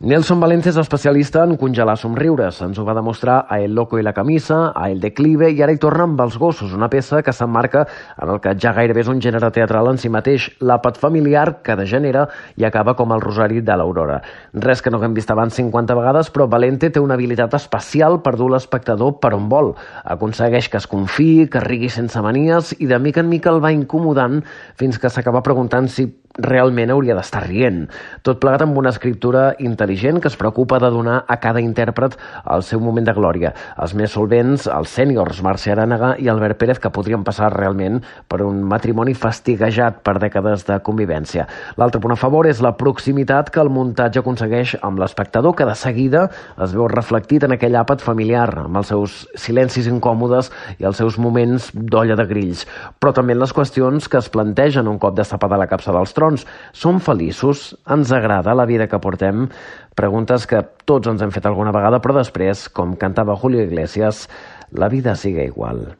Nelson Valente és especialista en congelar somriures. Ens ho va demostrar a El loco i la camisa, a El declive, i ara hi torna amb Els gossos, una peça que s'emmarca en el que ja gairebé és un gènere teatral en si mateix, l'àpat familiar que degenera i acaba com el rosari de l'Aurora. Res que no haguem vist abans 50 vegades, però Valente té una habilitat especial per dur l'espectador per on vol. Aconsegueix que es confiï, que rigui sense manies i de mica en mica el va incomodant fins que s'acaba preguntant si realment hauria d'estar rient. Tot plegat amb una escriptura intel·ligent que es preocupa de donar a cada intèrpret el seu moment de glòria. Els més solvents, els sèniors, Mercè Arànega i Albert Pérez, que podrien passar realment per un matrimoni fastiguejat per dècades de convivència. L'altre punt a favor és la proximitat que el muntatge aconsegueix amb l'espectador, que de seguida es veu reflectit en aquell àpat familiar, amb els seus silencis incòmodes i els seus moments d'olla de grills. Però també en les qüestions que es plantegen un cop destapada la capsa dels trons. Som feliços? Ens agrada la vida que portem? Preguntes que tots ens hem fet alguna vegada, però després, com cantava Julio Iglesias, la vida sigue igual.